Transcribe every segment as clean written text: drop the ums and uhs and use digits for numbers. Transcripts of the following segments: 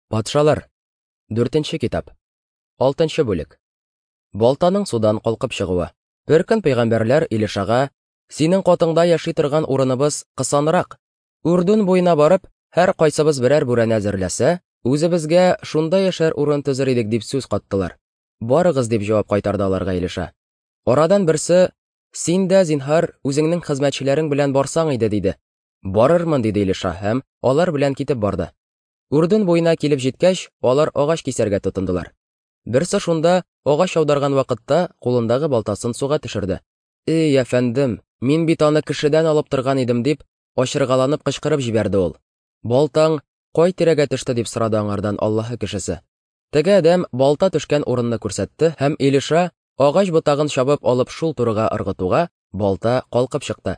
Патшалар. Дүртенче китап. Алтынчы бүлек. Балтаның судан калкып чыгуы. Бер көн пәйгамбәрләр Илишага, "Синең катыңда яши торган урыныбыз кысанрак. Үрдүн буена барып, һәр кайсыбыз берәр бүрәнә әзерләсә, үзебезгә шунда яшәр урын төзер идек", дип сүз каттылар. "Барыгыз", дип җавап кайтарды аларга Илиша. Арадан берсе, "Син дә, зинһар, үзеңнең хезмәтчеләрең белән барсаң иде", диде. "Барырмын", диде Илиша һәм алар белән китеп барды. Үрдүн буена килеп җиткәч, алар агач кисәргә тотындылар. Берсе шунда агач аударган вакытта кулындагы балтасын суга төшерде. "Эй, әфәндем, мин бит аны кешедән алып торган идем", дип, ачыргаланып кычкырып җибәрде ул. "Балтаң кай тирәгә төште?" дип сорады аңардан Аллаһы кешесе. Теге адәм балта төшкән урынны күрсәтте һәм Илиша агач ботагын чабып алып шул турыга ыргытуга, балта калкып чыкты.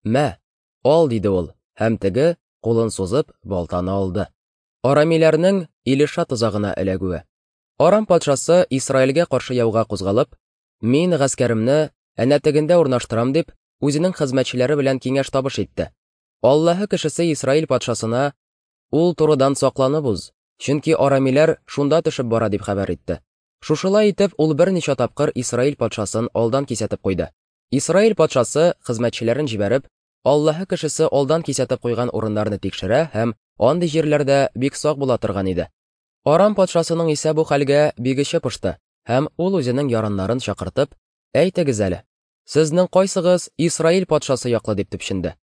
"Мә, ал", диде ул, һәм теге, кулын сузып, балтаны алды. Арамиләрнең Илиша тозагына эләгүе. Арам патшасы Исраилгә каршы яуга кузгалып, "Мин гаскәремне әнә тегендә урнаштырам", дип, үзенең хезмәтчеләре белән киңәш табыш итте. Аллаһы кешесе Исраил патшасына, "Ул турыдан сакланып уз, чөнки арамиләр шунда төшеп бара", дип хәбәр итте. Шушылай итеп, ул берничә тапкыр Исраил патшасын алдан кисәтеп куйды. Исраил патшасы хезмәтчеләрен җибәреп, Аллаһы кешесе алдан кисәтеп куйган урыннарны тикшерә һәм андый җирләрдә бик сак була торган иде. Арам патшасының исә бу хәлгә бик эче пошты, һәм ул үзенең яраннарын чакыртып, "Әйтегез әле, сезнең кайсыгыз Исраил патшасы яклы?" дип төпченде.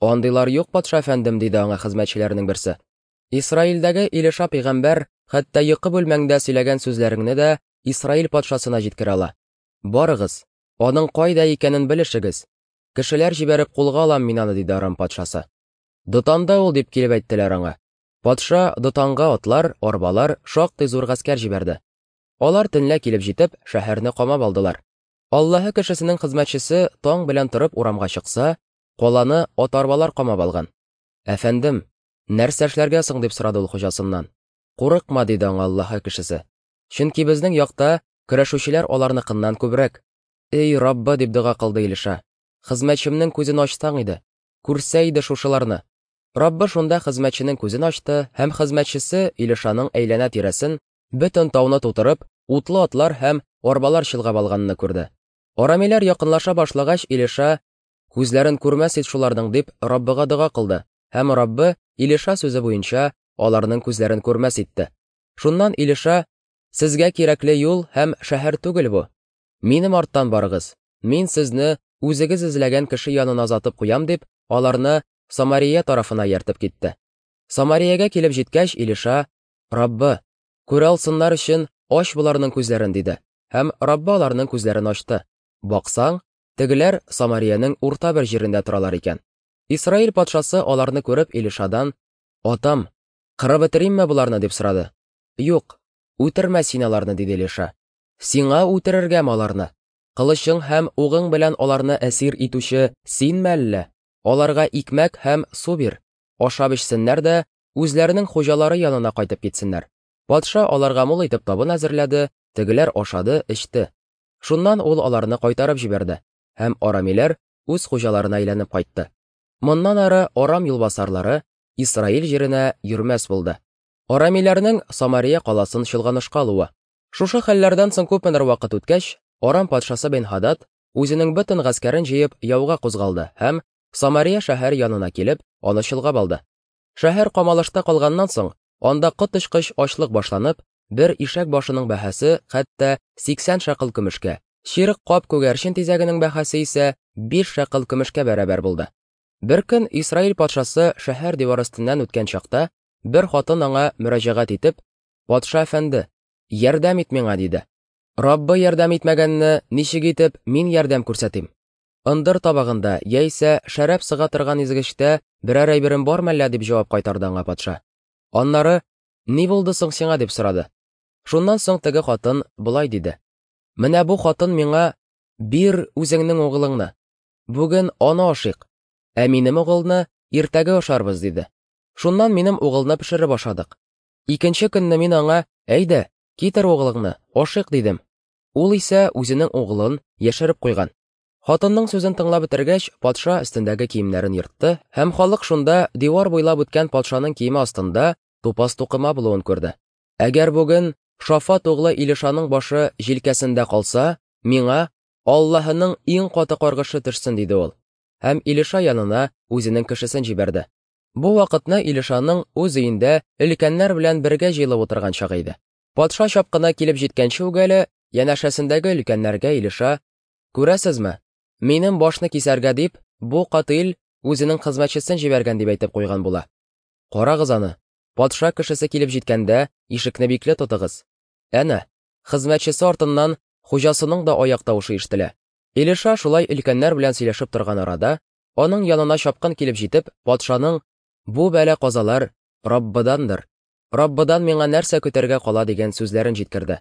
Андыйлар юк, патша әфәндем, диде аңа хезмәтчеләренең берсе. Исраилдәге Илиша пәйгамбәр хәтта йокы бүлмәңдә сөйләгән сүзләреңне дә Исраил патшасына җиткерә ала. Барыгыз, аның кайда икәнен белешегез. Кешеләр җибәреп кулга алам мин аны, диде Арам патшасы. Дотанда ул, дип килеп әйттеләр аңа. Патша Дотанга атлар, арбалар, шактый зур гаскәр җибәрде. Алар төнлә килеп җитеп, шәһәрне камап алдылар. Аллаһы кешесенең хезмәтчесе таң белән торып урамга чыкса, каланы ат-арбалар камап алган. Әфәндем, нәрсә эшләргә соң, дип сорады ул хуҗасыннан. Курыкма, диде аңа Аллаһы кешесе. Чөнки безнең якта көрәшүчеләр аларныкыннан күбрәк. Эй, Раббы, дип дога кылды Илиша. Хезмәтчемнең күзен ачсаң иде. Күрсә иде шушыларны. Раббы шунда хезмәтченең күзен ачты һәм хезмәтчесе Илишаның әйләнә-тирәсен, бөтен тауны тутырып, утлы атлар һәм арбалар чолгап алганны күрде. Арамиләр якынлаша башлагач, Илиша, күзләрен күрмәс ит шуларның, дип Раббыга дога кылды, һәм Раббы Илиша сүзе буенча аларның күзләрен күрмәс итте. Шуннан Илиша, сезгә кирәкле юл һәм шәһәр түгел бу. Минем арттан барыгыз, мин сезне үзегез эзләгән кеше янына озатып куям, дип, аларны Самария тарафына ияртеп китте. Самариягә килеп җиткәч, Илиша, Раббы, күрә алсыннар өчен ач боларның күзләрен, диде. Һәм Раббы аларның күзләрен ачты. Баксаң, тегеләр Самариянең урта бер җирендә торалар икән. Исраил патшасы аларны күреп Илишадан, Атам, кырып бетеримме боларны, дип сорады. Юк, үтермә син аларны, диде Илиша. Сиңа үтерергәме аларны? Кылычың һәм угың белән аларны әсир итүче синме әллә? Аларга икмәк һәм су бир, ашап эчсеннәр дә, үзләренең хуҗалары янына кайтып китсеннәр. Патша аларга мул итеп табын әзерләде, тегеләр ашады, эчте. Шуннан ул аларны кайтарып җибәрде, һәм арамиләр үз хуҗаларына әйләнеп кайтты. Моннан ары Арам юлбасарлары Исраил җиренә йөрмәс булды. Арамиләрнең Самария каласын чолганышка алуы. Шушы хәлләрдән соң күпмедер вакыт үткәч, Арам патшасы Бен-Һадад үзенең бөтен гаскәрен җыеп яуга кузгалды һәм Самария шәһәре янына килеп, аны чолгап алды. Шәһәр камалышта калганнан соң, анда коточкыч ачлык башланып, бер ишәк башының бәһасе хәтта 80 шәкыл көмешкә, чирек кап күгәрчен тизәгенең бәһасе исә 5 шәкыл көмешкә бәрабәр булды. Бер көн Исраил патшасы шәһәр дивары өстеннән үткән чакта, бер хатын аңа мөрәҗәгать итеп, Патша әфәнде, ярдәм ит миңа, диде. Раббы ярдәм итмәгәнне ничек итеп мин ярдәм күрсәтим? Ындыр табагында яисә шәраб сыга торган изгечтә берәр әйберем бар мәллә, дип җавап кайтарды аңа патша. Аннары, ни булды соң сиңа, дип сорады. Шуннан соң теге хатын болай диде. Менә бу хатын миңа, бир үзеңнең угылыңны. Бүген аны ашыйк, ә минем угылны иртәгә ашарбыз, диде. Шуннан минем угылны пешереп ашадык. Икенче көнне мин аңа, әйдә, китер угылыңны, ашыйк, дидем. Ул исә үзенең угылын яшереп куйган. Хатынның сүзен тыңлап бетергәч, патша өстендәге киемнәрен ертты, һәм халык шунда дивар буйлап үткән патшаның киеме астында тупас тукыма булуын күрде. Әгәр бүген Шафат углы Илишаның башы җилкәсендә калса, миңа Аллаһының иң каты каргышы төшсен, диде ул. Һәм Илиша янына үзенең кешесен җибәрде. Бу вакытны Илишаның үз өендә өлкәннәр белән бергә җыелып утырган чагы иде. Патша чапкыны килеп җиткәнче үк әле янәшәсендәге өлкәннәргә Илиша, Күрәсезме, минем башны кисәргә дип, бу катыйль үзенең хезмәтчесен җибәргән дип әйтеп куйган була. Карагыз аны, патша кешесе килеп җиткәндә, ишекне бикле тотыгыз. Әнә, хезмәтчесе артыннан хуҗасының да аяк тавышы ишетелә. Илиша шулай өлкәннәр белән сөйләшеп торган арада, аның янына чапкын килеп җитеп, патшаның бу бәла-казалар Раббыдандыр, Раббыдан миңа нәрсә көтәргә кала дигән сүзләрен җиткерде.